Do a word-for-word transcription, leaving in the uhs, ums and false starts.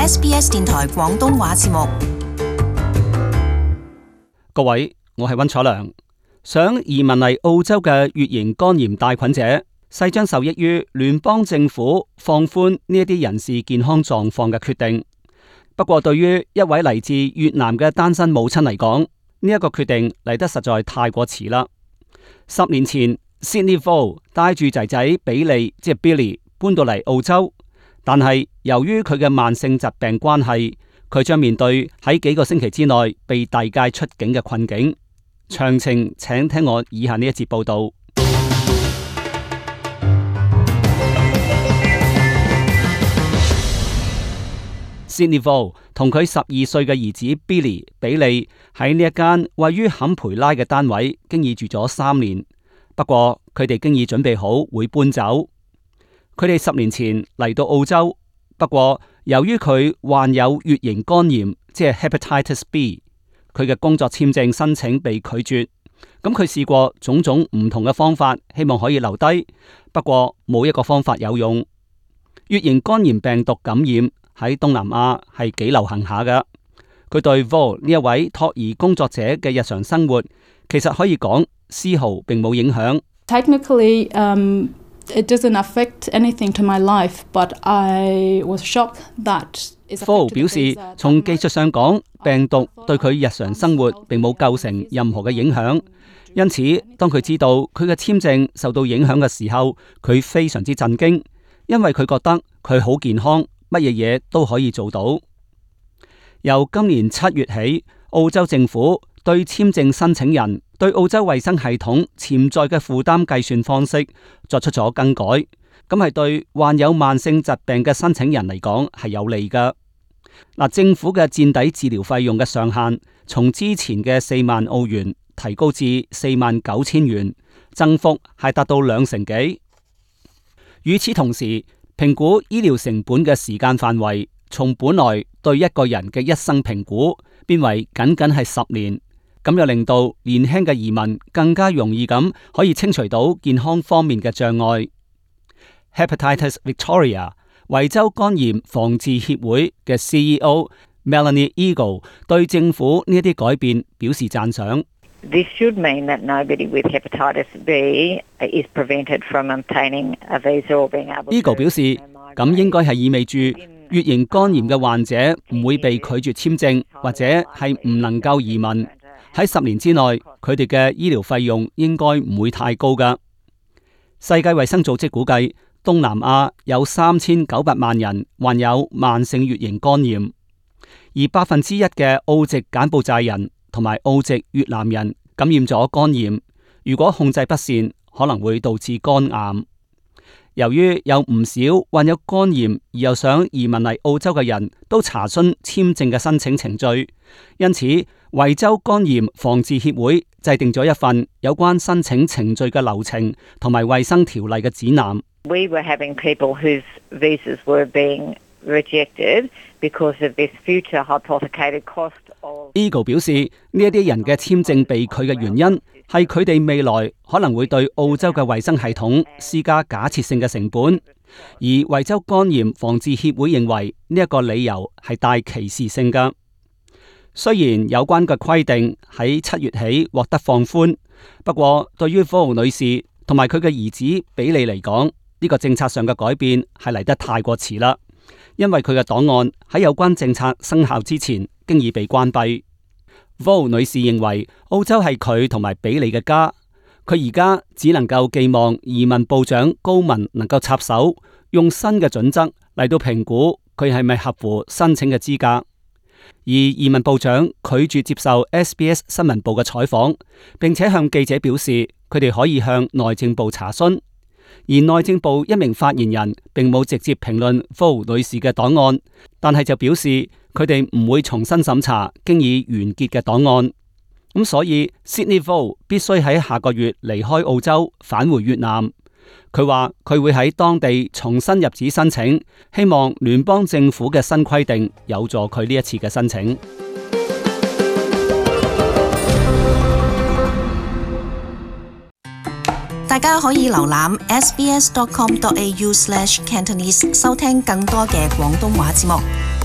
S B S 電台廣東話節目。各位，我係溫楚良。想移民嚟澳洲嘅乙型肝炎帶菌者，勢將受益於聯邦政府放寬呢一啲人士健康狀況嘅決定。不過，對於一位嚟自越南嘅單身母親嚟講，呢一個決定嚟得實在太過遲啦。十年前 Sydney Vo 帶住仔仔比利，即係 Billy 搬到嚟澳洲，但係由於佢嘅慢性疾病關係，佢將面對喺幾個星期之內被遞解出境嘅困境。詳情請聽我以下呢一節報道。Sydney Vo 同佢十二歲嘅兒子 Billy 比利喺呢一間位於坎培拉嘅單位，經已住咗三年。不過佢哋經已準備好會搬走。佢哋十年前嚟到澳洲，不過由於佢患有乙型肝炎，即係 Hepatitis B， 佢嘅工作簽證申請被拒絕。咁佢試過種種唔同嘅方法，希望可以留低，不過冇一個方法有用。乙型肝炎病毒感染喺東南亞係幾流行下㗎。佢對 Vo 呢一位托兒工作者嘅日常生活，其實可以講絲毫並冇影響。Technically, um, it doesn't affect anything to my life, but I was shocked that Vo 表示，從技術上講，病毒對佢日常生活並冇構成任何嘅影響。因此，當佢知道佢嘅簽證受到影響嘅時候，佢非常之震驚，因為佢覺得佢好健康，乜嘢嘢都可以做到。由今年七月起，澳洲政府對簽證申請人對澳洲衛生系統潛在嘅負擔計算方式作出咗更改，咁係對患有慢性疾病嘅申請人嚟講係有利㗎。嗱，政府嘅墊底治療費用嘅上限從之前嘅四萬澳元提高至四萬九千元，增幅係達到兩成幾。與此同時，評估醫療成本嘅時間範圍從本來對一個人嘅一生評估變為僅僅係十年，咁又令到年輕嘅移民更加容易咁可以清除到健康方面嘅障礙。Hepatitis Victoria 維州肝炎防治協會嘅 C E O Melanie Eagle 對政府呢一啲改變表示讚賞。This should mean that nobody with hepatitis B is prevented from obtaining a visa or being able to... Eagle 表示，咁應該係意味住乙型肝炎嘅患者唔會被拒絕簽證，或者係唔能夠移民。喺十年之內，佢哋嘅醫療費用應該唔會太高㗎。世界衛生組織估計，東南亞有三千九百萬人患有慢性乙型肝炎，而百分之一嘅澳籍柬埔寨人同埋澳籍越南人感染咗肝炎，如果控制不善，可能會導致肝癌。由於有唔少患有肝炎而又想移民嚟澳洲嘅人都查詢簽證嘅申請程序，因此維州肝炎防治協會制定咗一份有關申請程序嘅流程同埋衛生條例嘅指南。We were having people whose visas were being rejected because of this future hypothecated cost of... Eagle 表示，呢一啲人嘅簽證被拒嘅原因係佢哋未來可能會對澳洲嘅衛生系統施加假設性嘅成本，而維州肝炎防治協會認為呢一個理由係帶歧視性㗎。雖然有關嘅規定喺七月起獲得放寬，不過對於 Vo 女士同埋佢嘅兒子比利嚟講，呢個政策上嘅改變係嚟得太過遲啦，因為佢嘅檔案喺有關政策生效之前經已被關閉。Vo 女士認為澳洲係佢同埋比利嘅家，佢而家只能夠寄望移民部長高文能夠插手，用新嘅準則嚟到評估佢係咪合乎申請嘅資格。而移民部長拒絕接受 S B S 新聞部嘅採訪，並且向記者表示佢哋可以向內政部查詢。而內政部一名發言人並冇直接評論 Vo 女士嘅檔案，但係就表示佢哋唔會重新審查經已完結嘅檔案。咁所以 Sydney Vo 必須喺下個月離開澳洲返回越南。佢話佢會喺當地重新入紙申請，希望聯邦政府嘅新規定有助佢呢一次嘅申請。大家可以瀏覽 s b s dot com dot a u slash cantonese 收聽更多嘅廣東話節目。